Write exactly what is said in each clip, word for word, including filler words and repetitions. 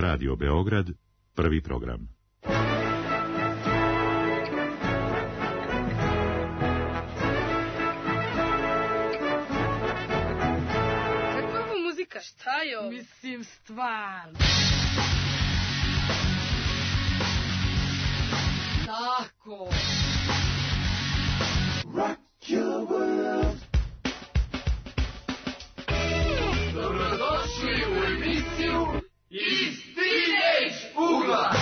Radio Beograd, prvi program. Kakva je ovo muzika? Šta je ovo? Mislim, stvarno. Tako. Rock your world. Dobrodošli u emisiju Iz Teenage ugla.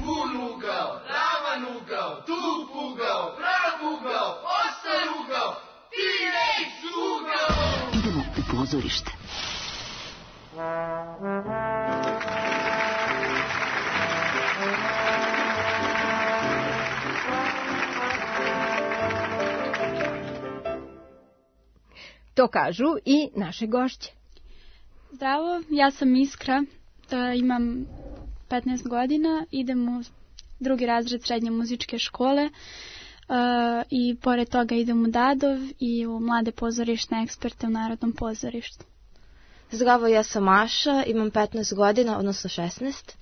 Bun ugao, ravan ugao, tup ugao, prav ugao, ostar ugao, Teenage ugao. Idemo u pozorište. To kažu i naše gošće. Zdravo, ja sam Iskra, imam petnaest godina, idem u drugi razred srednje muzičke škole i pored toga idem u Dadov i u mlade pozorišne eksperte u Narodnom pozorištu. Zdravo, ja sam Maša, imam petnaest godina, odnosno šesnaest.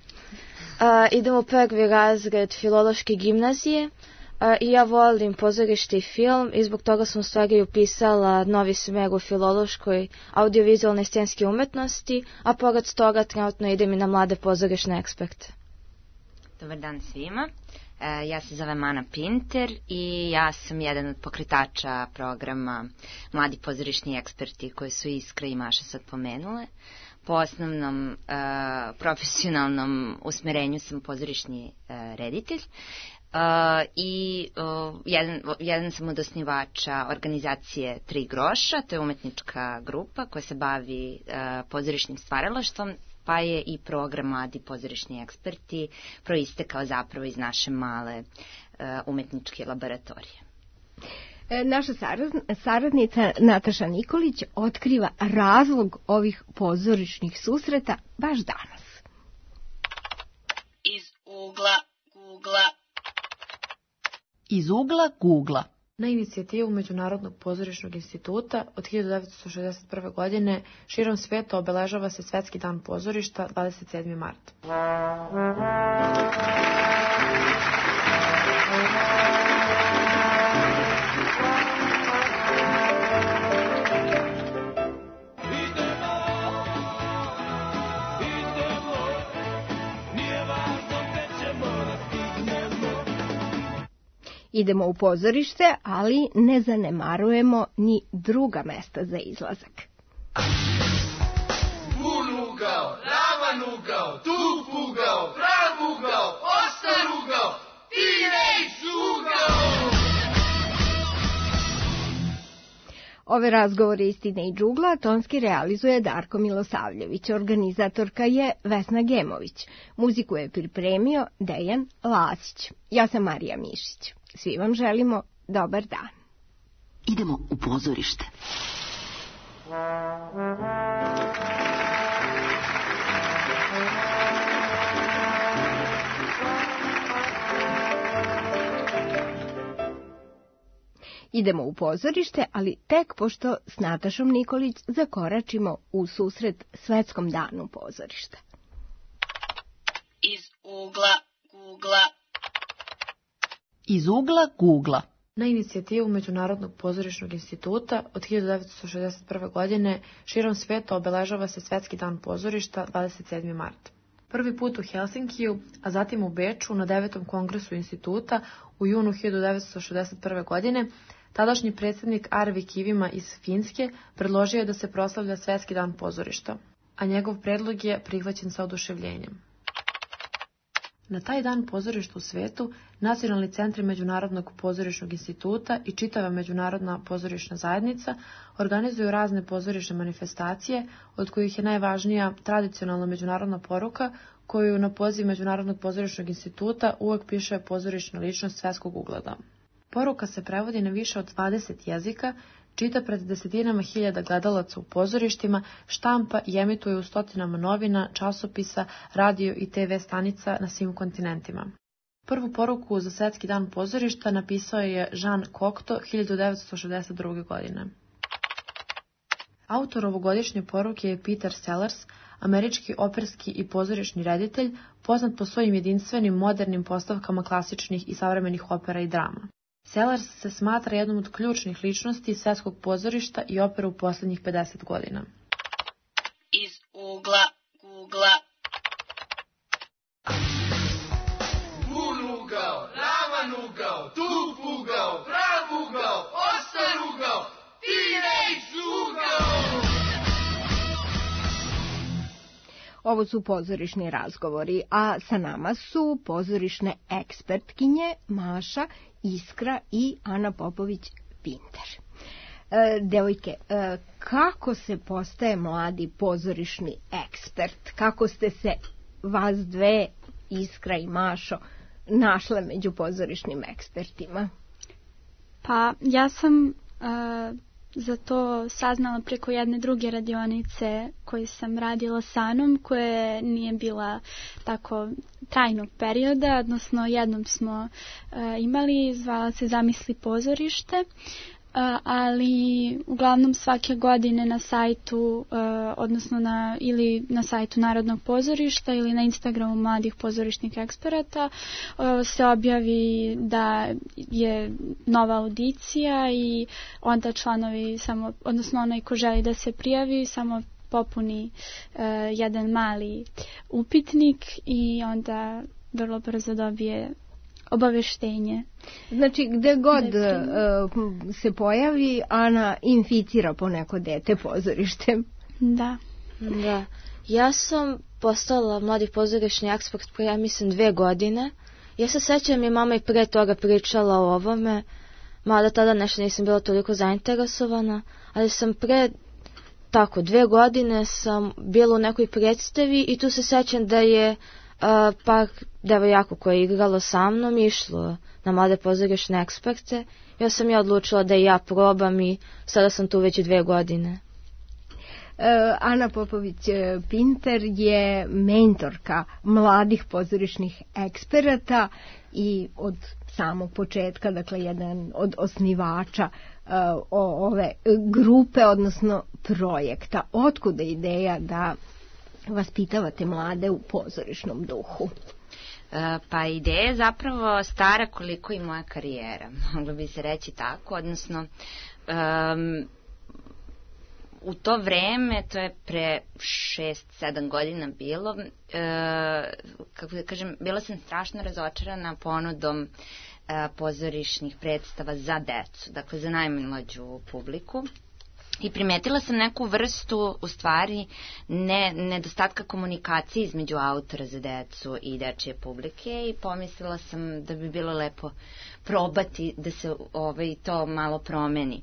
Idem u prvi razred filološke gimnazije. I ja volim pozorište i film i zbog toga sam u stvari upisala novi smer u filološkoj audiovizualne scenske umetnosti, a pored toga trenutno idem i na mlade pozorišne eksperte. Dobar dan svima, ja se zovem Ana Pinter i ja sam jedan od pokretača programa Mladi pozorišni eksperti koje su Iskra i Maša sad pomenule. Po osnovnom profesionalnom usmerenju sam pozorišni reditelj. Uh, i uh, jedan, jedan sam od osnivača organizacije Tri groša, to je umetnička grupa koja se bavi uh, pozorišnim stvaralaštvom, pa je i program Mladi pozorišni eksperti proistekao zapravo iz naše male uh, umetničke laboratorije. E, naša saradnica Nataša Nikolić otkriva razlog ovih pozorišnih susreta baš danas. Iz ugla Googla. Iz ugla Googla. Na inicijativu Međunarodnog pozorišnog instituta od hiljadu devetsto šezdeset prve. godine širom sveta obeležava se Svetski dan pozorišta dvadeset sedmog marta. Idemo u pozorište, ali ne zanemarujemo ni druga mesta za izlazak. Bun ugao, ravan ugao, tup ugao, prav ugao, ostar ugao, Teenage ugao. Ove razgovore iz Teenage ugla tonski realizuje Darko Milosavljević, organizatorka je Vesna Gemović, muziku je pripremio Dejan Lasić. Ja sam Marija Mišić. Svi vam želimo dobar dan. Idemo u pozorište. Idemo u pozorište, ali tek pošto s Natašom Nikolić zakoračimo u susret Svetskom danu pozorišta. Iz ugla Googla. Iz ugla Googla. Na inicijativu Međunarodnog pozorišnog instituta od hiljadu devetsto šezdeset prve. godine širom sveta obeležava se Svetski dan pozorišta dvadeset sedmog marta. Prvi put u Helsinkiju, a zatim u Beču na devetom kongresu instituta u junu hiljadu devetsto šezdeset prve. godine, tadašnji predsjednik Arvi Kivima iz Finske predložio je da se proslavlja Svetski dan pozorišta, a njegov predlog je prihvaćen sa oduševljenjem. Na taj dan pozorišta u svetu, nacionalni centri Međunarodnog pozorišnog instituta i čitava Međunarodna pozorišna zajednica organizuju razne pozorišne manifestacije, od kojih je najvažnija tradicionalna međunarodna poruka, koju na poziv Međunarodnog pozorišnog instituta uvek piše pozorišna ličnost svetskog ugleda. Poruka se prevodi na više od dvadeset jezika, čita pred desetinama hiljada gledalaca u pozorištima, štampa i emituje u stotinama novina, časopisa, radio i te ve stanica na svim kontinentima. Prvu poruku za Svetski dan pozorišta napisao je Jean Cocteau hiljadu devetsto šezdeset druge. godine. Autor ovogodišnje poruke je Peter Sellers, američki operski i pozorišni reditelj, poznat po svojim jedinstvenim modernim postavkama klasičnih i savremenih opera i drama. Sellers se smatra jednom od ključnih ličnosti svetskog pozorišta i opere u posljednjih pedeset godina. Iz ugla Googla. Bun ugao, ravan ugao, tup ugao, prav ugao, ostar ugao, T-Rex ugao! Ovo su pozorišni razgovori, a sa nama su pozorišne ekspertkinje Maša, Iskra i Ana Popović-Pinter. E, devojke, e, kako se postaje mladi pozorišni ekspert? Kako ste se vas dve, Iskra i Mašo, našle među pozorišnim ekspertima? Pa ja sam uh, za to saznala preko jedne druge radionice koju sam radila sa Anom, koja nije bila tako trajnog perioda, odnosno jednom smo uh, imali, zvala se Zamisli pozorište, Uh, ali uglavnom svake godine na sajtu, uh, odnosno na, ili na sajtu Narodnog pozorišta ili na Instagramu mladih pozorišnih eksperata uh, se objavi da je nova audicija i onda članovi samo, odnosno onaj ko želi da se prijavi samo popuni uh, jedan mali upitnik i onda vrlo brzo dobije obaveštenje. Znači, gde god uh, se pojavi, Ana inficira po neko dete pozorištem. Da. Da. Ja sam postala mladi pozorišni ekspert pre, ja mislim, dve godine. Ja se sećam, je mama i pre toga pričala o ovome, mada tada nešto nisam bila toliko zainteresovana, ali sam pre tako dve godine sam bila u nekoj predstavi i tu se sećam da je Uh, par devojaka koje je igralo sa mnom išlo na mlade pozorišne eksperte. Ja sam ja odlučila da i ja probam i sada sam tu već dve godine. Uh, Ana Popović-Pinter je mentorka mladih pozorišnih eksperata i od samog početka, dakle jedan od osnivača uh, ove grupe, odnosno projekta. Otkuda ideja da vaspitavate mlade u pozorišnom duhu? Pa ideja je zapravo stara koliko i moja karijera, moglo bi se reći tako, odnosno um, u to vreme, to je pre šest sedam godina bilo, uh, kako da kažem, bila sam strašno razočarana ponudom uh, pozorišnih predstava za decu, dakle za najmlađu publiku. I primetila sam neku vrstu, u stvari, ne, nedostatka komunikacije između autora za decu i dečije publike i pomislila sam da bi bilo lepo probati da se ovaj, to malo promeni.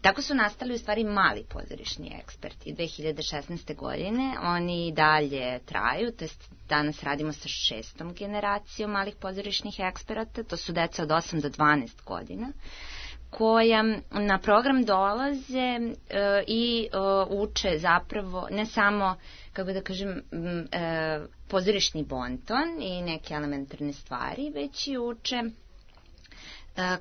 Tako su nastali u stvari mali pozorišni eksperti. dve hiljade šesnaeste. godine oni dalje traju, to jest danas radimo sa šestom generacijom malih pozorišnih eksperata, to su deca od osam do dvanaest godina, koja na program dolaze e, i e, uče zapravo ne samo, kako da kažem, e, pozorišni bonton i neke elementarne stvari, već i uče e,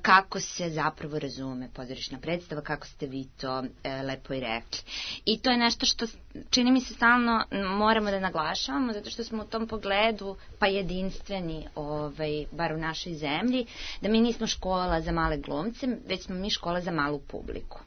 kako se zapravo razume pozorišna predstava, kako ste vi to e, lepo i rekli. I to je nešto što čini mi se stalno moramo da naglašavamo, zato što smo u tom pogledu pa jedinstveni, ovaj, bar u našoj zemlji, da mi nismo škola za male glumce, već smo mi škola za malu publiku.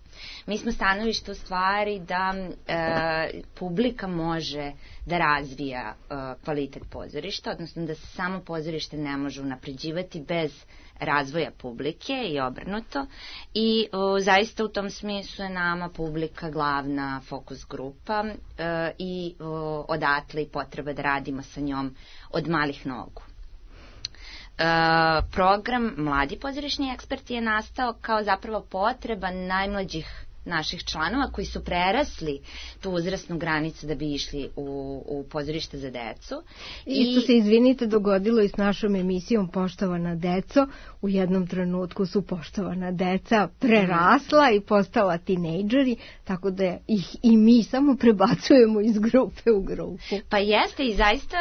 Mi smo stanovište u stvari da e, publika može da razvija e, kvalitet pozorišta, odnosno da se samo pozorište ne može unapređivati bez razvoja publike i obrnuto. I o, zaista u tom smislu je nama publika glavna fokus grupa e, i o, odatle i potreba da radimo sa njom od malih nogu. E, program Mladi pozorišni eksperti je nastao kao zapravo potreba najmlađih naših članova koji su prerasli tu uzrasnu granicu da bi išli u, u pozorište za decu. Isto I... se, izvinite, dogodilo i s našom emisijom Poštovana deco. U jednom trenutku su poštovana deca prerasla i postala tinejdžeri, tako da ih i mi samo prebacujemo iz grupe u grupu. Pa jeste i zaista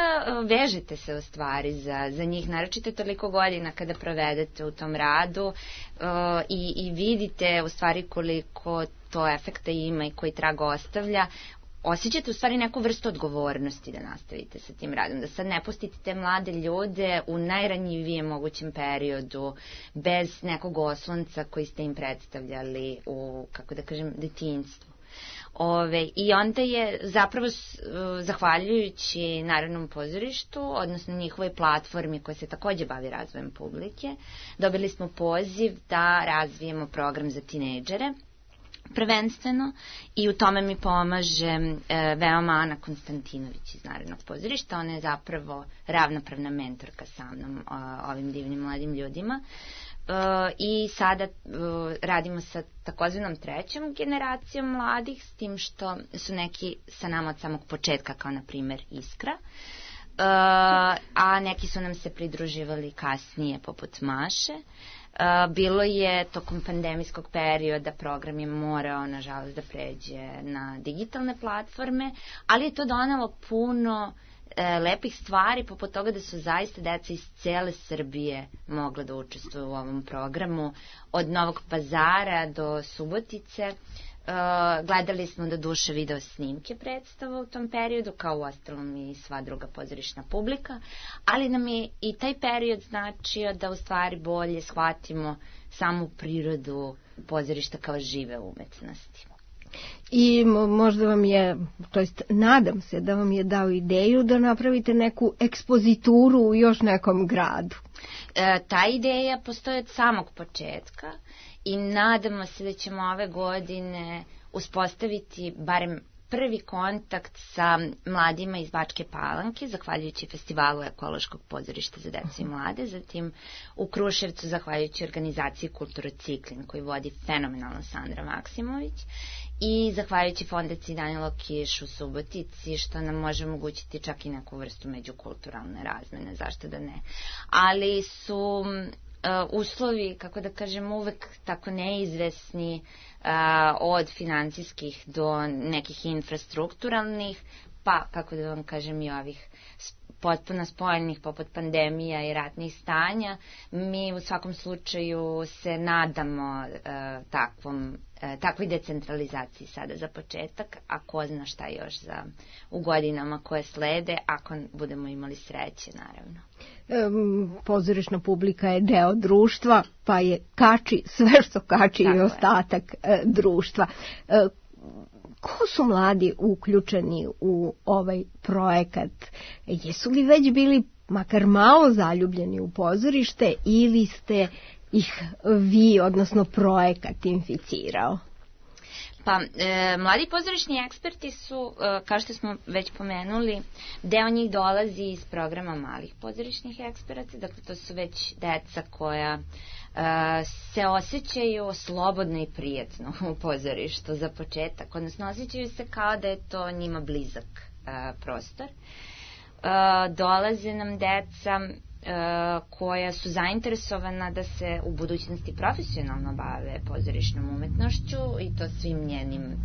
vežete se u stvari za, za njih, naročito toliko godina kada provedete u tom radu uh, i, i vidite u stvari koliko to efekta ima i koji trag ostavlja. osjećate u stvari neku vrstu odgovornosti da nastavite sa tim radom, da sad ne pustite te mlade ljude u najranjivijem mogućem periodu, bez nekog oslonca koji ste im predstavljali u, kako da kažem, detinjstvu. Ove, I onda je zapravo zahvaljujući Narodnom pozorištu, odnosno njihovoj platformi koja se takođe bavi razvojem publike, dobili smo poziv da razvijemo program za tinejdžere, prvenstveno, i u tome mi pomaže e, veoma Ana Konstantinović iz Narodnog pozorišta. Ona je zapravo ravnopravna mentorka sa mnom, o, ovim divnim mladim ljudima. Uh, i sada uh, radimo sa takozvanom trećom generacijom mladih, s tim što su neki sa nama od samog početka, kao na primer Iskra, uh, a neki su nam se pridruživali kasnije, poput Maše. Uh, bilo je tokom pandemijskog perioda, program je morao, nažalost, da pređe na digitalne platforme, ali je to donelo puno lepih stvari, poput toga da su zaista deca iz cele Srbije mogla da učestvuju u ovom programu, od Novog Pazara do Subotice. Uh, gledali smo do duše video snimke predstava u tom periodu, kao u ostalom i sva druga pozorišna publika, ali nam je i taj period značio da u stvari bolje shvatimo samu prirodu pozorišta kao žive umetnosti. I možda vam je, to jest nadam se da vam je dao ideju da napravite neku ekspozituru u još nekom gradu. E, ta ideja postoji od samog početka i nadamo se da ćemo ove godine uspostaviti barem prvi kontakt sa mladima iz Bačke Palanke, zahvaljujući festivalu ekološkog pozorišta za decu i mlade, zatim u Kruševcu zahvaljujući organizaciji Kulturociklin koji vodi fenomenalno Sandra Maksimović, i zahvaljujući fondaciji Danilo Kiš u Subotici, što nam može omogućiti čak i neku vrstu međukulturalne razmene, zašto da ne. Ali su uh, uslovi, kako da kažem, uvek tako neizvesni, uh, od financijskih do nekih infrastrukturalnih, pa, kako da vam kažem, i ovih potpuno spojenih poput pandemija i ratnih stanja. Mi u svakom slučaju se nadamo uh, takvom, uh, takvoj decentralizaciji sada za početak, a ko zna šta još za, u godinama koje slede, ako budemo imali sreće, naravno. Um, pozorišna publika je deo društva, pa je kači sve što kači i ostatak uh, društva. Uh, Ko su mladi uključeni u ovaj projekat? Jesu li već bili makar malo zaljubljeni u pozorište ili ste ih vi, odnosno projekat, inficirao? Pa, e, mladi pozorišni eksperti su, e, kao što smo već pomenuli, deo njih dolazi iz programa malih pozorišnih eksperata, dakle to su već deca koja e, se osjećaju slobodno i prijetno u pozorištu za početak, odnosno osjećaju se kao da je to njima blizak e, prostor. E, dolaze nam deca koja su zainteresovana da se u budućnosti profesionalno bave pozorišnom umetnošću i to svim njenim e,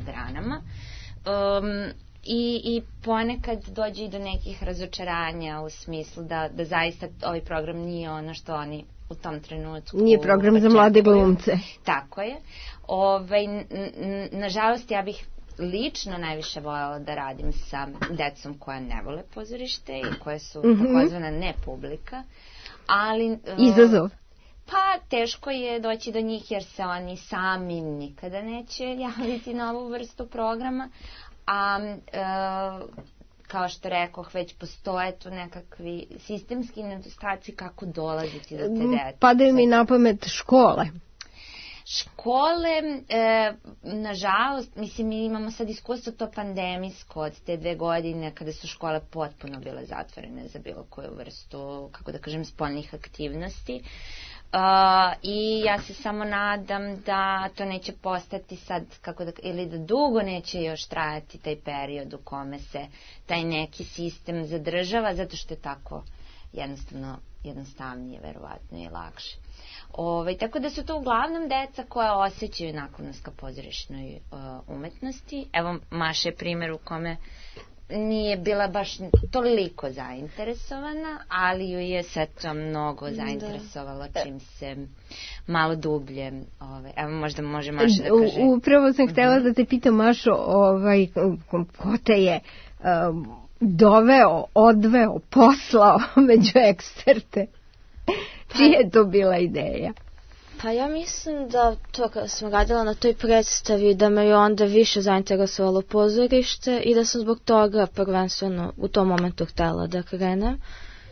granama. Um, i, I ponekad dođe i do nekih razočaranja u smislu da, da zaista ovaj program nije ono što oni u tom trenutku... Nije program za mlade glumce. Tako je. Ovaj, n, n, nažalost, ja bih lično najviše voljela da radim sa decom koja ne vole pozorište i koje su mm-hmm. takozvana ne publika, ali... Izazov. Pa teško je doći do njih jer se oni sami nikada neće javiti na ovu vrstu programa, a e, kao što rekoh, već postoje tu nekakvi sistemski nedostaci kako dolaziti do te dece. Padaju mi na pamet škole. Škole, e, nažalost, mislim, mi imamo sad iskustvo to pandemijsko od te dve godine kada su škole potpuno bile zatvorene za bilo koju vrstu, kako da kažem, spoljnih aktivnosti. Uh, i ja se samo nadam da to neće postati sad, kako da, ili da dugo neće još trajati taj period u kome se taj neki sistem zadržava, zato što je tako jednostavno jednostavnije, verovatno i lakše. Ove, tako da su to uglavnom deca koja osjećaju naklonost ka pozorišnoj uh, umetnosti. Evo, Maša je primjer u kome nije bila baš toliko zainteresovana, ali ju je sve to mnogo zainteresovalo čim se malo dublje, ovaj, evo možda može Maša da kaže. Upravo sam htjela da te pitam, Mašo, ovaj, ko te je um, doveo, odveo, poslao među eksperte? Čija je to bila ideja? Pa ja mislim da to kada sam radila na toj predstavi da me je onda više zainteresovalo pozorište i da sam zbog toga prvenstveno u tom momentu htjela da krenem.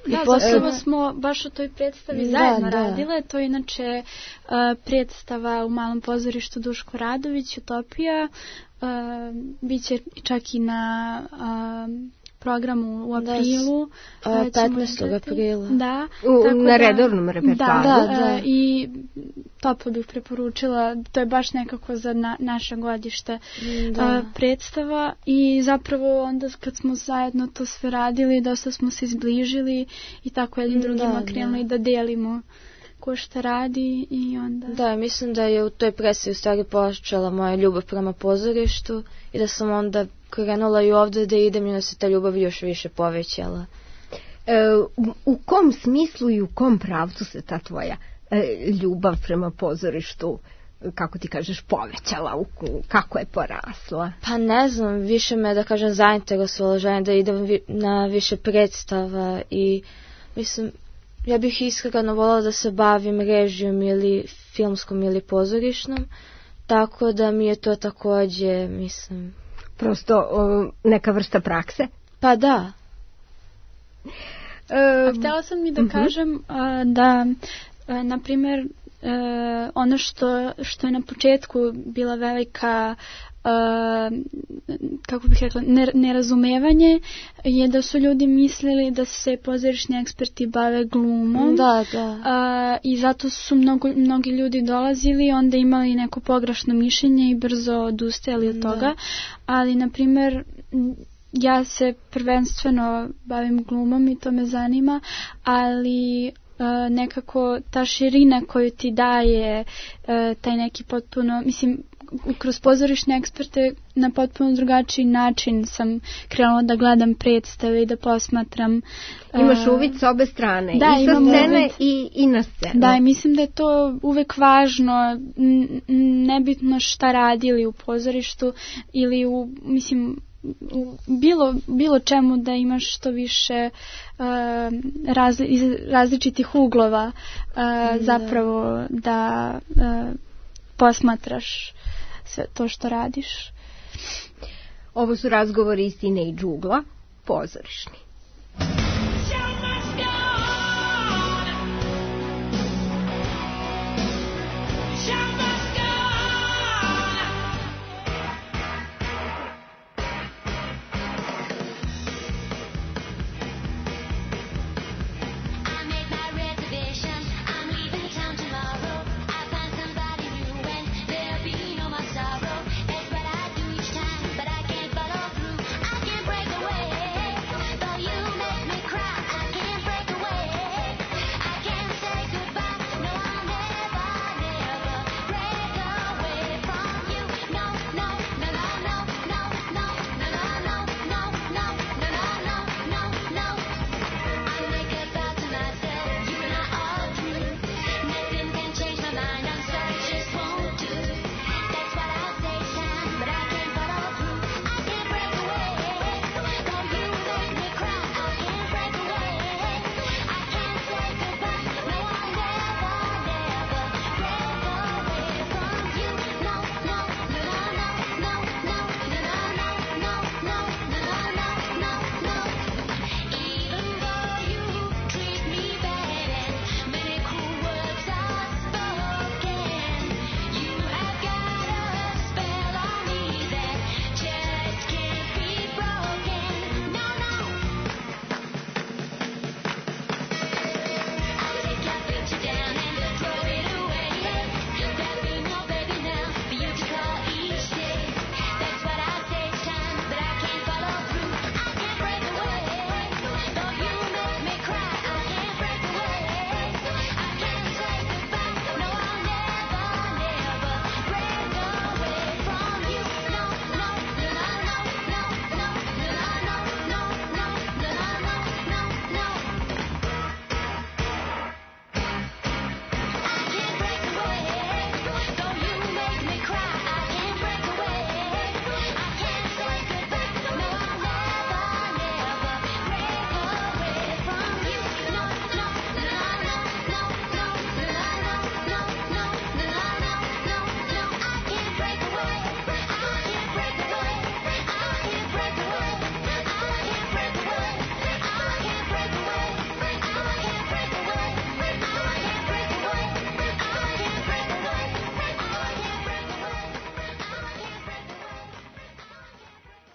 Da, I posle... zapravo smo baš u toj predstavi zajedno da, radile. Da. To je inače uh, predstava u Malom pozorištu Duško Radović, Utopija. Uh, biće čak i na... Uh, programu u aprilu. Da, petnaestog aprila. Da. U, na redovnom repertoaru. Da, da, da. I toplo bih preporučila, to je baš nekako za na, naše godište a, predstava i zapravo onda kad smo zajedno to sve radili, dosta smo se izbližili i tako jednim drugima da, krenuli da. da delimo ko šta radi i onda... Da, mislim da je u toj predstavi u stvari počela moja ljubav prema pozorištu i da sam onda krenula i ovdje da idem i da se ta ljubav još više povećala. E, u kom smislu i u kom pravcu se ta tvoja e, ljubav prema pozorištu, kako ti kažeš, povećala? U, kako je porasla? Pa ne znam, više me, da kažem, zainteresovala, želim da idem vi, na više predstava i mislim, ja bih iskreno voljela da se bavim režijom ili filmskom ili pozorišnom, tako da mi je to također, mislim... Prosto o, neka vrsta prakse? Pa da. E, A htjela sam mi da uh-huh. kažem a, da, a, na primjer, a, ono što, što je na početku bila velika, a, kako bih rekla, nerazumevanje, je da su ljudi mislili da se pozorišni eksperti bave glumom. Da, da. A, I zato su mnogo, mnogi ljudi dolazili, onda imali neko pogrešno mišljenje i brzo odustajali od toga. Da. Ali, na primjer, ja se prvenstveno bavim glumom i to me zanima, ali uh, nekako ta širina koju ti daje uh, taj neki potpuno, mislim, kroz pozorišne eksperte na potpuno drugačiji način sam krenula da gledam predstave i da posmatram. Imaš uvid s obe strane, da, i sa scene i, i na scenu. Da, i mislim da je to uvek važno, nebitno šta radili u pozorištu ili u, mislim, u bilo, bilo čemu da imaš što više uh, razli, iz različitih uglova uh, da. zapravo da uh, posmatraš sve to što radiš. Ovo su razgovori Istine i Džugla, pozorišni. But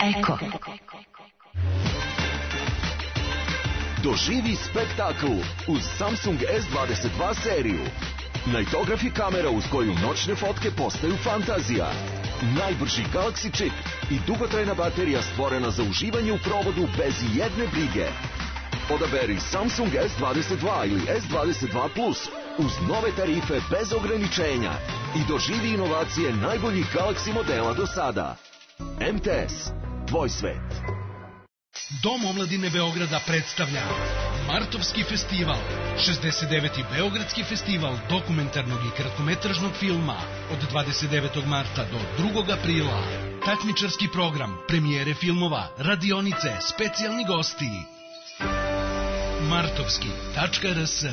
Eko. Doživi spektakl uz Samsung S dvadeset dva seriju. Nightograph je kamera uz koju noćne fotke postaju fantazija. Najbrži Galaxy čip i dugotrajna baterija stvorena za uživanje u provodu bez jedne brige. Odaberi Samsung S dvadeset dva ili S dvadeset dva plus uz nove tarife bez ograničenja i doživi inovacije najboljih Galaxy modela do sada. M T S. Tvoj svet. Dom omladine Beograda predstavlja Martovski festival, šezdeset deveti Beogradski festival dokumentarnog i kratkometražnog filma od dvadeset devetog marta do drugog aprila. Takmičarski program, premijere filmova, radionice, specijalni gosti. martovski tačka r s.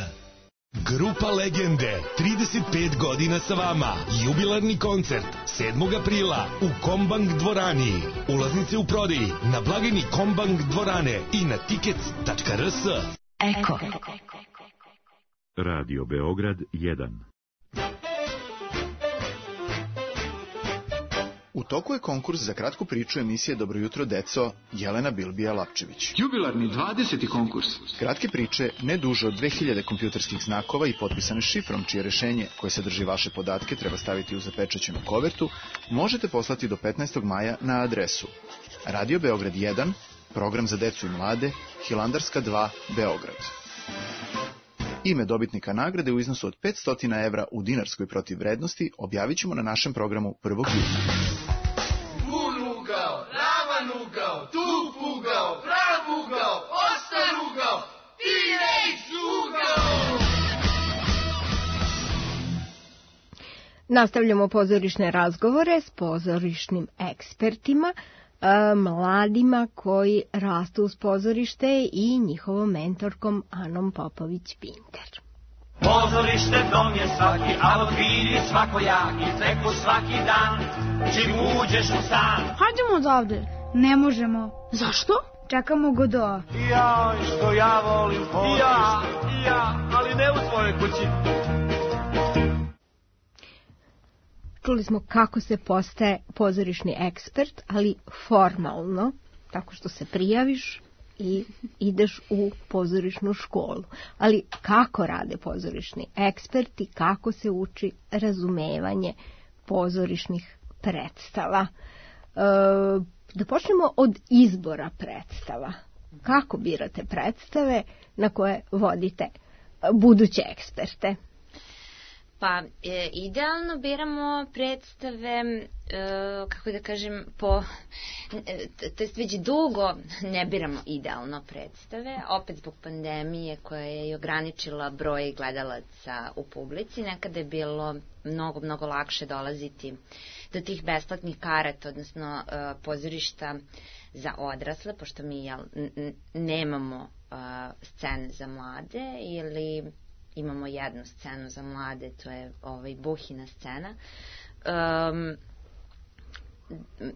Grupa Legende, trideset pet godina sa vama. Jubilarni koncert sedmog aprila u Kombank dvorani. Ulaznice u prodaji na blagajni Kombank dvorane i na tickets tačka r s. Eko. Radio Beograd jedan. U toku je konkurs za kratku priču emisije Dobro jutro, deco, Jelena Bilbija-Lapčević. Jubilarni dvadeseti konkurs. Kratke priče, ne duže od dve hiljade kompjuterskih znakova i potpisane šifrom, čije rešenje, koje sadrži vaše podatke, treba staviti u zapečaćenu kovertu, možete poslati do petnaestog maja na adresu Radio Beograd jedan, program za decu i mlade, Hilandarska dva, Beograd. Ime dobitnika nagrade u iznosu od petsto evra u dinarskoj protivvrednosti objavit ćemo na našem programu prvog juna. Bun ugao, ravan ugao, tup ugao, prav ugao, ostar ugao, T-Rex ugao! Nastavljamo pozorišne razgovore s pozorišnim ekspertima, mladima koji rastu uz pozorište i njihovom mentorkom Anom Popović-Pinter. Pozorište dom je svaki, a od vidi svakojaki, treku svaki dan, čim uđeš u stan. Hajdemo odavde. Ne možemo. Zašto? Čekamo Godoa. Ja, što ja volim pozorište. Ja, ja, ali ne u svojoj kući. Čuli smo kako se postaje pozorišni ekspert, ali formalno, tako što se prijaviš i ideš u pozorišnu školu. Ali kako rade pozorišni eksperti, kako se uči razumevanje pozorišnih predstava? E, da počnemo od izbora predstava. Kako birate predstave na koje vodite buduće eksperte? Pa, e, idealno biramo predstave, e, kako da kažem, po, e, to jest već dugo ne biramo idealno predstave, opet zbog pandemije koja je i ograničila broj gledalaca u publici. Nekada je bilo mnogo, mnogo lakše dolaziti do tih besplatnih karata, odnosno e, pozorišta za odrasle, pošto mi jel, n- nemamo e, scene za mlade ili imamo jednu scenu za mlade, to je ovaj Buhina scena. Um,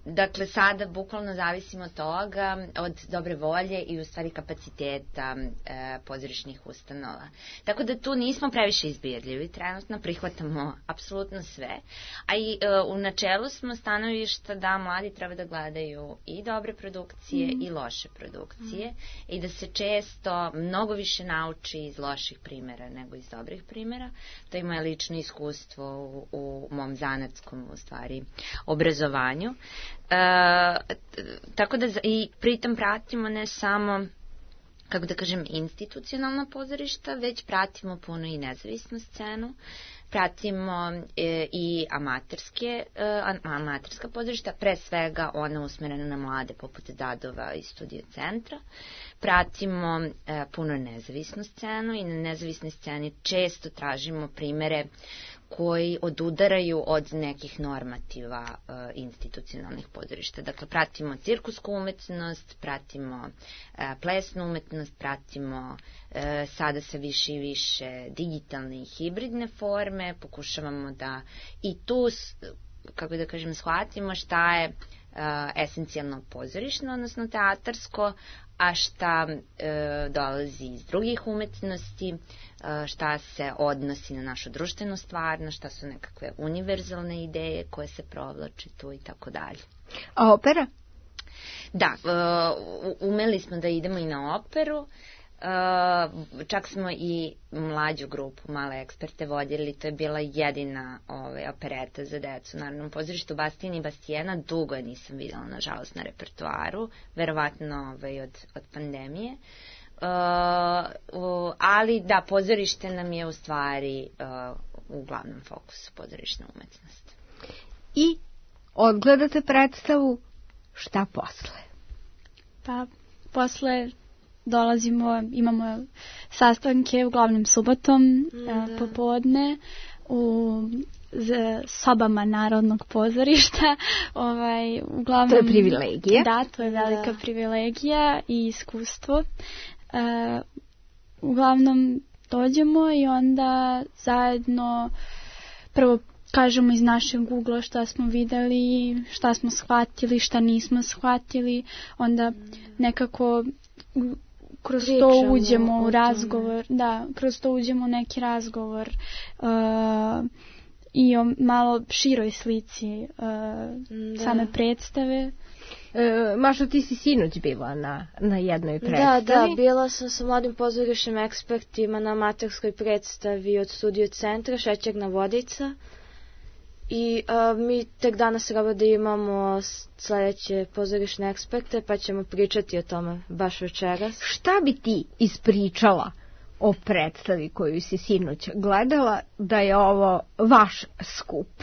dakle, sada bukvalno zavisimo od toga, od dobre volje i u stvari kapaciteta e, pozorišnih ustanova. Tako da tu nismo previše izbirljivi, trenutno prihvatamo apsolutno sve, a i e, u načelu smo stanovišta da mladi treba da gledaju i dobre produkcije mm. i loše produkcije mm. i da se često mnogo više nauči iz loših primjera nego iz dobrih primjera. To je moje lično iskustvo u, u mom zanatskom, u stvari, obrazovanju. E, tako da i pritom pratimo ne samo, kako da kažem, institucionalna pozorišta, već pratimo puno i nezavisnu scenu, pratimo e, i amaterske, e, amaterska pozorišta, pre svega ona usmerena na mlade poput Dadova i Studio centra, pratimo e, puno nezavisnu scenu i na nezavisnoj sceni često tražimo primere koji odudaraju od nekih normativa e, institucionalnih pozorišta. Dakle, pratimo cirkusku umetnost, pratimo e, plesnu umetnost, pratimo e, sada sve više i više digitalne i hibridne forme, pokušavamo da i tu, kako da kažem, shvatimo šta je e, esencijalno pozorišno, odnosno teatarsko, a šta e, dolazi iz drugih umetnosti, e, šta se odnosi na našu društvenu stvarnost, šta su nekakve univerzalne ideje koje se provlače tu i tako dalje. A opera? Da, umeli smo da idemo i na operu. Čak smo i mlađu grupu Male eksperte vodili, to je bila jedina ovaj, opereta za decu u Narodnom pozorištu Bastien i Bastijena. Dugo je nisam videla, nažalost, na repertoaru, verovatno ovaj, od, od pandemije. Uh, uh, ali da, pozorište nam je u stvari uh, u glavnom fokusu, pozorišna umetnost. I odgledate predstavu, šta posle? Pa posle dolazimo, imamo sastanke uglavnom subotom da. popodne u sobama Narodnog pozorišta. Ovaj, uglavnom, to je privilegija. Da, to je velika da. privilegija i iskustvo. Uh, uglavnom dođemo i onda zajedno prvo kažemo iz našeg Google-a šta smo videli, šta smo shvatili, šta nismo shvatili, onda nekako kroz Pričamo to uđemo u razgovor, da, kroz to uđemo u neki razgovor uh, i o malo široj slici uh, same predstave. E, Mašo, ti si sinoć bila na, na jednoj predstavi. Da, da, bila sam sa mladim pozorišnim ekspertima na amaterskoj predstavi od Studio centra Šećerna vodica. I uh, mi tek danas treba da imamo sledeće pozorišne eksperte, pa ćemo pričati o tome baš večeras. Šta bi ti ispričala o predstavi koju si sinoć gledala, da je ovo vaš skup?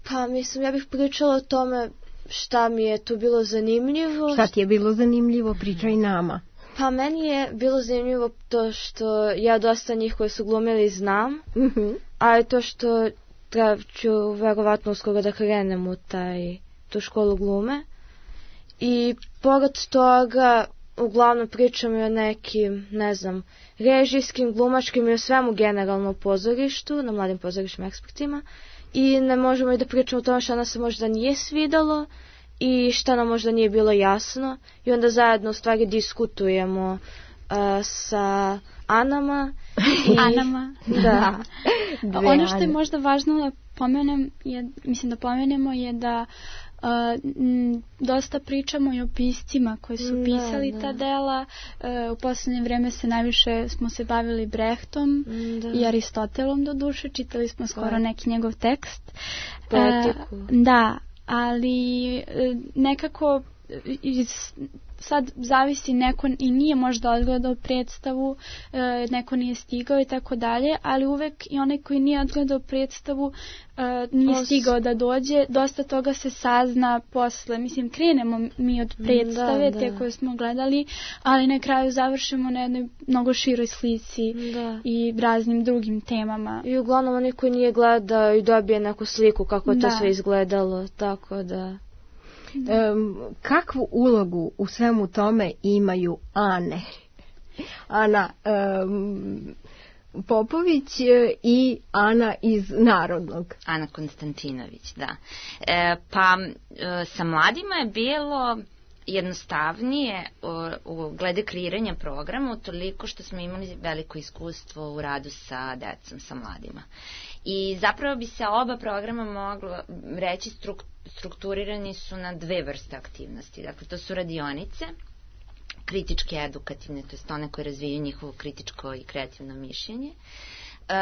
Pa mislim, ja bih pričala o tome šta mi je tu bilo zanimljivo. Šta ti je bilo zanimljivo? Pričaj nama. Pa meni je bilo zanimljivo to što ja dosta njih koji su glumili znam, uh-huh. a i to što treba ću verovatno uskoro da krenem u taj, tu školu glume. I pored toga uglavnom pričam i o nekim, ne znam, režijskim, glumačkim i o svemu generalno u pozorištu, na mladim pozorišnim ekspertima. I ne možemo i da pričamo o tome što nam se možda nije svidalo i šta nam možda nije bilo jasno. I onda zajedno u stvari diskutujemo uh, sa Anama. I, Anama. Da. Ono što je možda važno da pomenem, je, mislim da pomenemo je da Uh, m, dosta pričamo i o piscima koji su pisali da, da. ta dela. Uh, u poslednje vreme se najviše smo se bavili Brechtom da. i Aristotelom do duše. Čitali smo skoro da. neki njegov tekst. Poetiku. Uh, da, ali uh, nekako iz, sad zavisi, neko i nije možda odgledao predstavu, e, neko nije stigao i tako dalje, ali uvek i onaj koji nije odgledao predstavu e, nije Os... stigao da dođe, dosta toga se sazna posle, mislim krenemo mi od predstave, da, te da. koje smo gledali, ali na kraju završimo na jednoj mnogo široj slici da. i raznim drugim temama. I uglavnom onaj koji nije gledao i dobije neku sliku kako je da. to sve izgledalo, tako da... Um, kakvu ulogu u svemu tome imaju Ane? Ana um, Popović i Ana iz Narodnog. Ana Konstantinović, da. E, pa e, sa mladima je bilo jednostavnije u, u glede kreiranja programa, toliko što smo imali veliko iskustvo u radu sa decom, sa mladima. I zapravo bi se oba programa moglo reći struk, strukturirani su na dve vrste aktivnosti. Dakle, to su radionice, kritičke edukativne, to jest one koje razvijaju njihovo kritičko i kreativno mišljenje. Uh,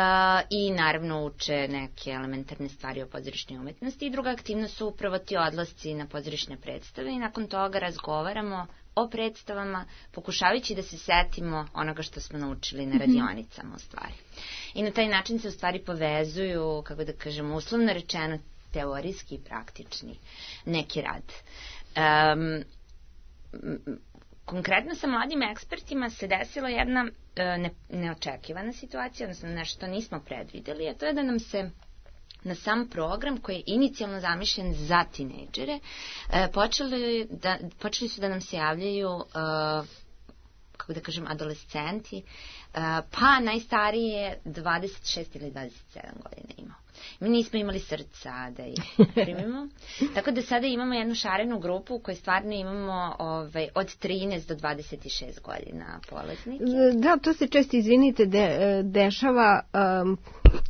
i naravno uče neke elementarne stvari o pozorišnoj umetnosti. I druga aktivnost su upravo ti odlasci na pozorišne predstave i nakon toga razgovaramo o predstavama, pokušavajući da se setimo onoga što smo naučili na radionicama u stvari. I na taj način se u stvari povezuju, kako da kažemo, uslovno rečeno teorijski i praktični neki rad. Um, Konkretno sa mladim ekspertima se desila jedna e, ne, neočekivana situacija, odnosno nešto što nismo predvideli, a to je da nam se na sam program koji je inicijalno zamišljen za tinejdžere, e, počeli, da, počeli su da nam se javljaju, e, kako da kažem, adolescenti, e, pa najstariji je dvadeset šest ili dvadeset sedam godina imao. Mi nismo imali srca da ih primimo. Tako da sada imamo jednu šarenu grupu u kojoj stvarno imamo ovaj, od trinaest do dvadeset šest godina polaznike. Da, to se često, izvinite, de, dešava um,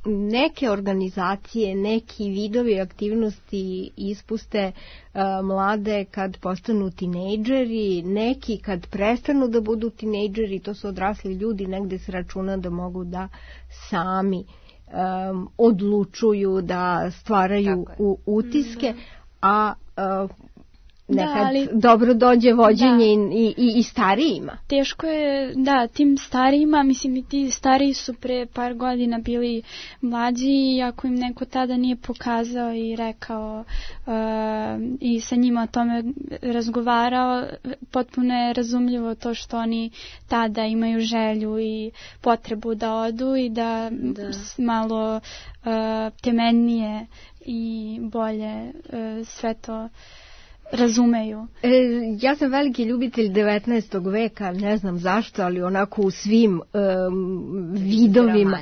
neke organizacije, neki vidovi aktivnosti ispuste uh, mlade kad postanu tinejdžeri, neki kad prestanu da budu tinejdžeri, to su odrasli ljudi, negde se računa da mogu da sami um, odlučuju, da stvaraju u, utiske, mm-hmm. a uh, nekad da, ali, dobro dođe vođenje da. i, i, i starijima. Teško je, da, tim starijima, mislim i ti stariji su pre par godina bili mlađi i ako im neko tada nije pokazao i rekao uh, i sa njima o tome razgovarao, potpuno je razumljivo to što oni tada imaju želju i potrebu da odu i da, da. malo uh, temeljnije i bolje uh, sve to razumeju. E, ja sam veliki ljubitelj devetnaestog veka, ne znam zašto, ali onako u svim um, vidovima.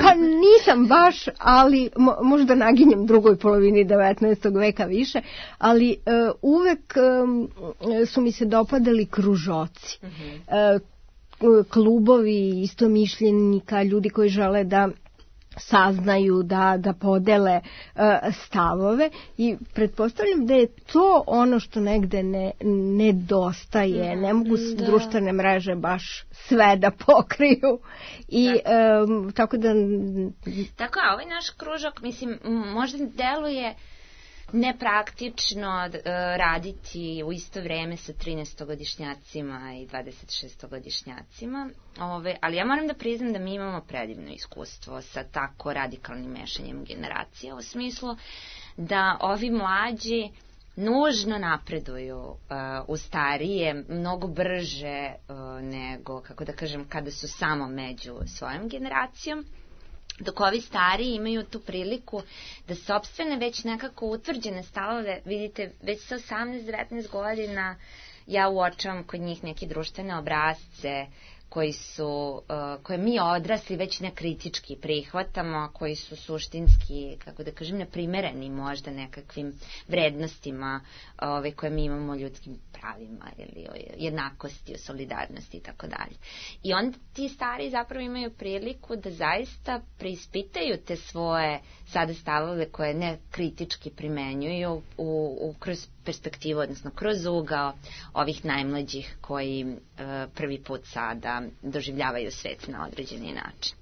Pa nisam baš, ali mo, možda naginjem drugoj polovini devetnaestog veka više, ali uh, uvek um, su mi se dopadali kružoci. Uh-huh. Uh, klubovi istomišljenika, ljudi koji žele da saznaju, da, da podele uh, stavove i pretpostavljam da je to ono što negde ne, nedostaje. Ne mogu da. društvene mreže baš sve da pokriju i um, tako da... Tako, a ovaj naš kružok, mislim, možda deluje nepraktično uh, raditi u isto vreme sa trinaestogodišnjacima i dvadesetšestogodišnjacima, ove, ali ja moram da priznam da mi imamo predivno iskustvo sa tako radikalnim mešanjem generacija, u smislu da ovi mlađi nužno napreduju uh, u starije, mnogo brže uh, nego, kako da kažem, kada su samo među svojom generacijom. Dok ovi stariji imaju tu priliku da sopstvene već nekako utvrđene stavove, vidite, već sa osamnaest devetnaest godina ja uočavam kod njih neke društvene obrazce koji su, uh, koje mi odrasli već nekritički prihvatamo, koji su suštinski, kako da kažem, neprimereni možda nekakvim vrednostima ove, koje mi imamo o ljudskim pravima ili o jednakosti, o solidarnosti i tako dalje. I onda ti stari zapravo imaju priliku da zaista preispitaju te svoje sada stavove koje ne kritički primenjuju u, u, kroz perspektivu, odnosno kroz ugao ovih najmlađih koji uh, prvi put sada doživljavaju svet na određeni način.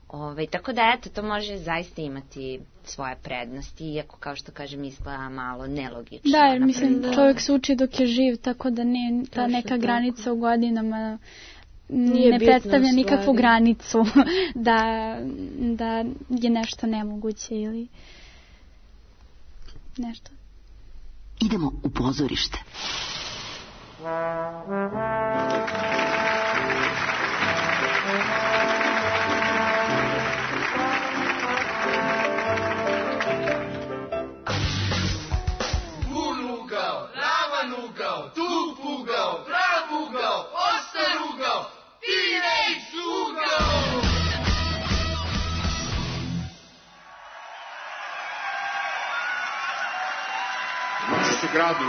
Ove, tako da, eto, to može zaista imati svoje prednosti, iako, kao što kažem, izgleda malo nelogično. Da, jer mislim da čovjek se uči dok je živ, tako da ne, ta neka granica u godinama nije ne predstavlja nikakvu granicu da, da je nešto nemoguće ili nešto. Idemo u pozorište. Gradu.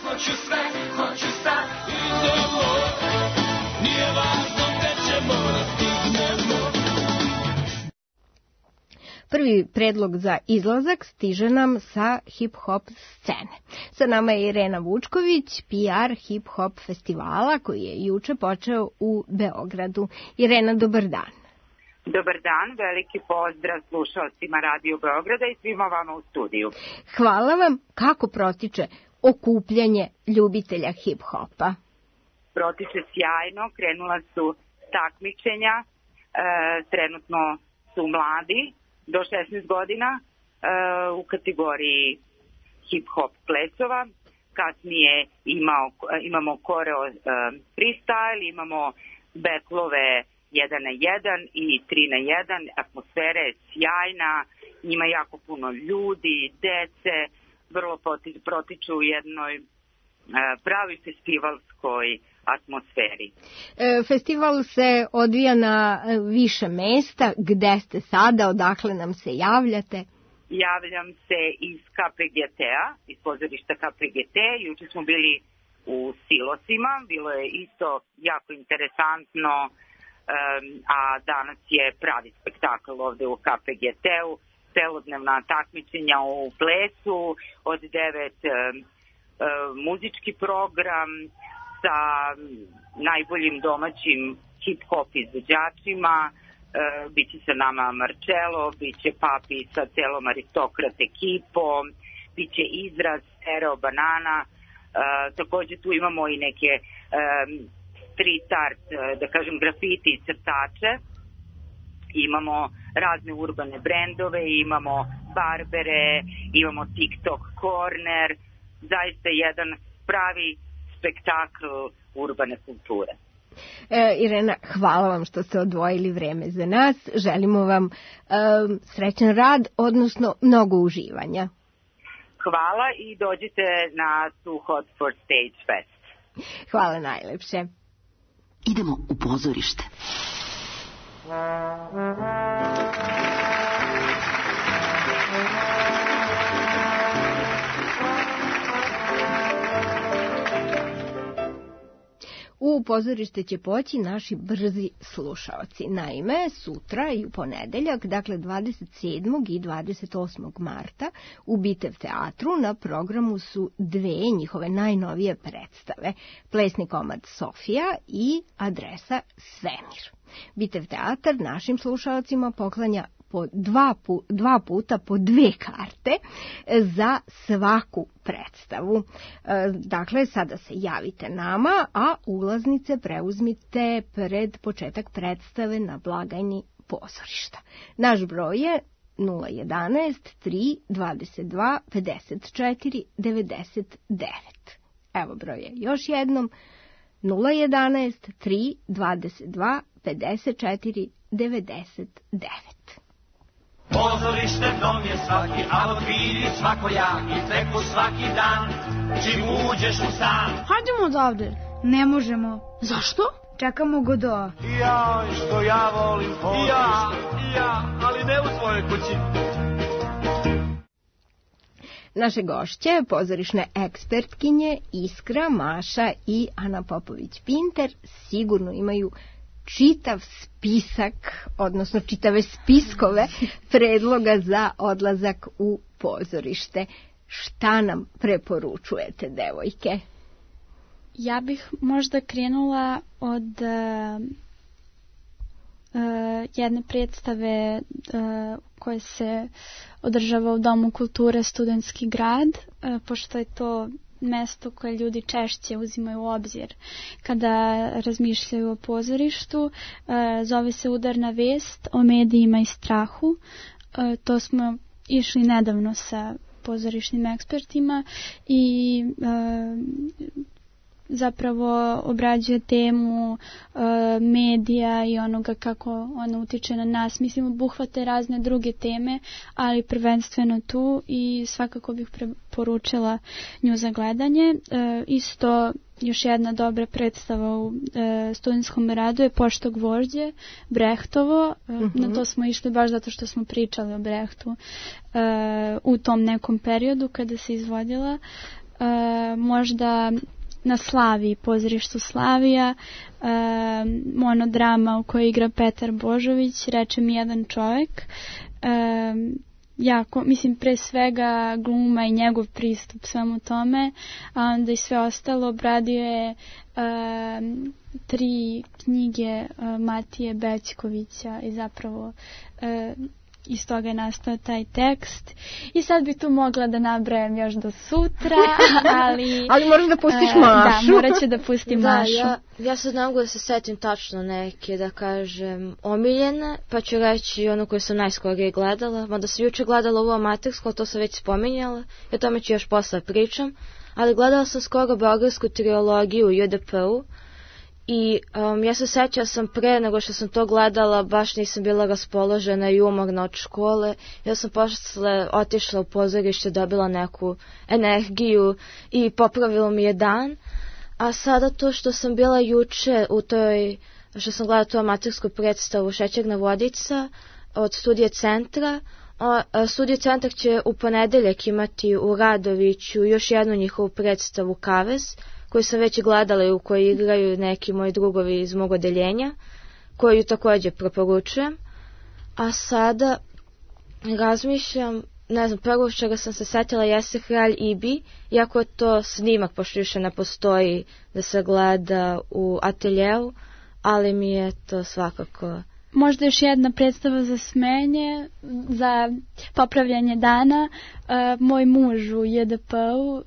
Hoću sve, hoću sad, idemo, nije važno gde ćemo da stignemo. Prvi predlog za izlazak stiže nam sa hip-hop scene. Sa nama je Irena Vučković, P R hip-hop festivala koji je juče počeo u Beogradu. Irena, dobar dan. Dobar dan, veliki pozdrav slušalcima Radio Beograda i svima vama u studiju. Hvala vam. Kako protiče okupljanje ljubitelja hip-hopa? Protiče sjajno, krenula su takmičenja, e, trenutno su mladi, do šesnaest godina, e, u kategoriji hip-hop plesova. Kasnije imao, imamo koreo e, freestyle, imamo betlove jedan na jedan i tri na jedan, atmosfera je sjajna, ima jako puno ljudi, dece, vrlo protiču u jednoj e, pravi festivalskoj atmosferi. E, festival se odvija na više mesta. Gde ste sada, odakle nam se javljate? Javljam se iz K P G T-a, iz pozorišta K P G T. Juče smo bili u Silosima. Bilo je isto jako interesantno, a danas je pravi spektakl ovde u K P G T-u, celodnevna takmičenja u plesu, od devet muzički program sa najboljim domaćim hip-hop izvođačima. Biće sa nama Marcello, biće Papi sa celom Aristokrat ekipom, biće Izraz, Stereo Banana. Takođe tu imamo i neke street art, da kažem grafiti i crtače. Imamo razne urbane brendove, imamo barbere, imamo TikTok corner, zaista jedan pravi spektakl urbane kulture. E, Irena, hvala vam što ste odvojili vreme za nas. Želimo vam e, srećan rad, odnosno mnogo uživanja. Hvala i dođite na Too Hot for Stage Fest. Hvala najlepše. Idemo u pozorište. U pozorište će poći naši brzi slušaoci. Naime, sutra i u ponedeljak, dakle dvadeset sedmog i dvadeset osmog marta, u Bitev teatru na programu su dve njihove najnovije predstave. Plesni komad Sofija i Adresa Svemir. Bitev teatar našim slušaocima poklanja po dva, pu, dva puta po dve karte za svaku predstavu. Dakle, sada se javite nama, a ulaznice preuzmite pred početak predstave na blagajni pozorišta. Naš broj je nula jedanaest tri dvadeset dva pedeset četiri devedeset devet. Evo broj je još jednom nula jedanaest tri dvadeset dva pedeset četiri devedeset devet. Pozorište dom je svaki, a vidi svakojaki, treku svaki dan, čim uđeš u stan. Hajdemo odavde. Ne možemo. Zašto? Čekamo Godoa. Ja, što ja volim pozorište. Ja, ja, ali ne u svojoj kući. Naše gošće, pozorišne ekspertkinje Iskra, Maša i Ana Popović-Pinter, sigurno imaju čitav spisak, odnosno čitave spiskove predloga za odlazak u pozorište. Šta nam preporučujete, devojke? Ja bih možda krenula od uh, uh, jedne predstave uh, koje se održava u Domu kulture Studentski grad, uh, pošto je to mesto koje ljudi češće uzimaju u obzir kada razmišljaju o pozorištu. Zove se Udarna vest o medijima i strahu. To smo išli nedavno sa pozorišnim ekspertima i zapravo obrađuje temu uh, medija i onoga kako ona utiče na nas. Mislim, obuhvate razne druge teme, ali prvenstveno tu i svakako bih preporučila nju za gledanje. Uh, isto još jedna dobra predstava u uh, studentskom radu je Pošto gvožđe, Brehtovo. Uh, mm-hmm. Na to smo išli baš zato što smo pričali o Brehtu uh, u tom nekom periodu kada se izvodila. Uh, možda na Slaviji, pozorištu Slavija, e, monodrama u kojoj igra Petar Božović, Reče mi jedan čovjek. E, jako, mislim, pre svega gluma i njegov pristup svemu tome, a onda i sve ostalo. Obradio je e, tri knjige e, Matije Bećkovića i zapravo e, iz toga je nastao taj tekst. I sad bi tu mogla da nabrajam još do sutra, ali... ali moraš da pustiš Mašu. Da, morat ću da pustim da, Mašu. Ja, ja sad ne mogu da se setim tačno neke, da kažem, omiljene, pa ću reći ono koje sam najskorije gledala. Mada sam juče gledala ovo amatersko, to sam već spominjala, i o tome ću još posle pričam. Ali gledala sam skoro beogradsku trilogiju u J D P-u. I um, ja se sećam sam pre nego što sam to gledala, baš nisam bila raspoložena i umorna od škole. Ja sam posle otišla u pozorište, dobila neku energiju i popravilo mi je dan. A sada to što sam bila juče u toj, što sam gledala tu amatersku predstavu Šećerna vodica od Studije centra, a, Studije centar će u ponedeljak imati u Radoviću još jednu njihovu predstavu Kavez, koju sam već gledala i u kojoj igraju neki moji drugovi iz mog odeljenja, koju također preporučujem. A sada razmišljam, ne znam, prvo čega sam se setila jeste Kralj Ibi, iako je to snimak, pošto više ne postoji da se gleda u ateljeu, ali mi je to svakako... Možda još jedna predstava za smenje, za popravljanje dana. E, moj muž u J D P-u, e,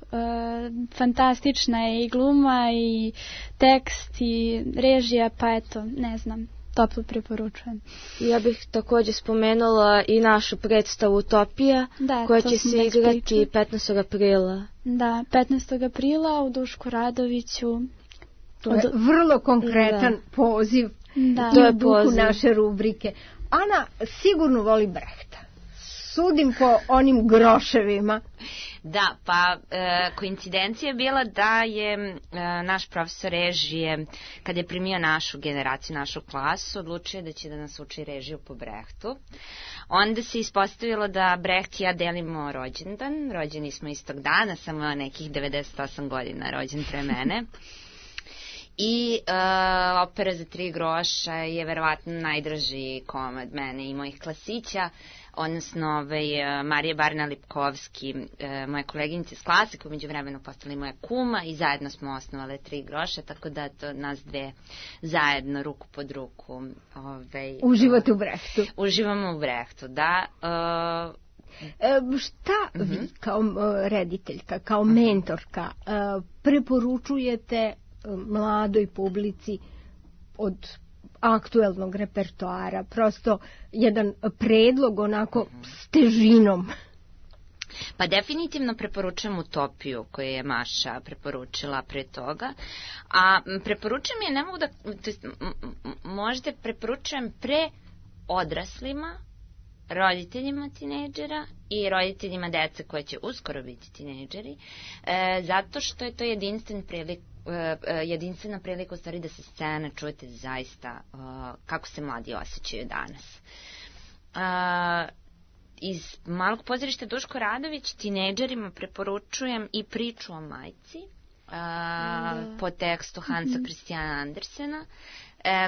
fantastična je i gluma i tekst i režija, pa eto, ne znam, toplo preporučujem. Ja bih također spomenula i našu predstavu Utopija, da, koja će se igrati petnaestog aprila. Da, petnaestog aprila u Dušku Radoviću. To je vrlo konkretan da. poziv. Da, to je duhu naše rubrike. Ana sigurno voli Brehta. Sudim po onim groševima. Da, pa e, koincidencija je bila da je e, naš profesor režije, kad je primio našu generaciju, našu klasu, odlučio da će da nas uči režiju po Brehtu. Onda se ispostavilo da Breht i ja delimo rođendan. Rođeni smo istog dana, samo nekih devedeset osam godina rođen pre mene. I uh, opera za tri groša je verovatno najdraži komad mene i mojih klasića, odnosno ovaj, Marije Barna-Lipkovski, uh, moje koleginice s klase, koja među vremenu postali moja kuma i zajedno smo osnovale tri groša, tako da to nas dve zajedno, ruku pod ruku. Ovaj, uživate u Brehtu. Uživamo u Brehtu, da. Uh, E, šta vi kao uh, rediteljka, kao mentorka uh, preporučujete mladoj publici od aktuelnog repertoara, prosto jedan predlog onako s težinom? Pa definitivno preporučujem Utopiju koju je Maša preporučila pre toga, a preporučujem je, ne mogu da, to jest, možda preporučujem pre odraslima, roditeljima tinejdžera i roditeljima dece koje će uskoro biti tinejdžeri, e, zato što je to jedinstven prilik jedinstvena prilika u stvari da se scena čujete zaista uh, kako se mladi osjećaju danas. Uh, iz Malog pozorišta Duško Radović tinejdžerima preporučujem i priču o majci uh, da. po tekstu Hansa Christiana Andersena, uh,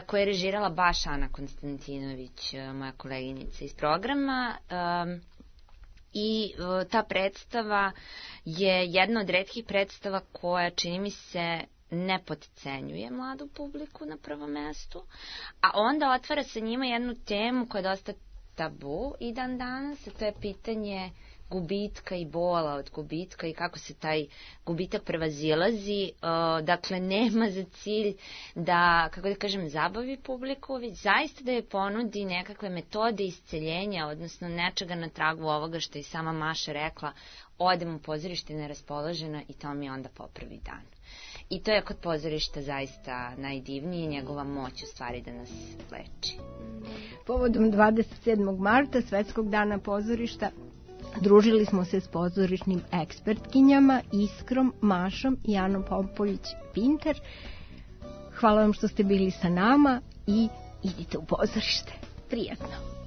koja je režirala baš Ana Konstantinović, uh, moja koleginica iz programa. Um, I uh, ta predstava je jedna od retkih predstava koja, čini mi se, ne podcenjuje mladu publiku na prvom mestu, a onda otvara sa njima jednu temu koja je dosta tabu i dan danas, a to je pitanje gubitka i bola od gubitka i kako se taj gubitak prevazilazi. Uh, dakle, nema za cilj da, kako da kažem, zabavi publiku, već zaista da je ponudi nekakve metode isceljenja, odnosno nečega na tragu ovoga što je sama Maša rekla, odem u pozorište neraspoložena i to mi onda popravi dan. I to je kod pozorišta zaista najdivnije, njegova moć u stvari da nas leči. Povodom dvadeset sedmog marta, Svetskog dana pozorišta, družili smo se s pozorišnim ekspertkinjama Iskrom, Mašom i Anom Popović-Pinter. Hvala vam što ste bili sa nama i idite u pozorište. Prijatno.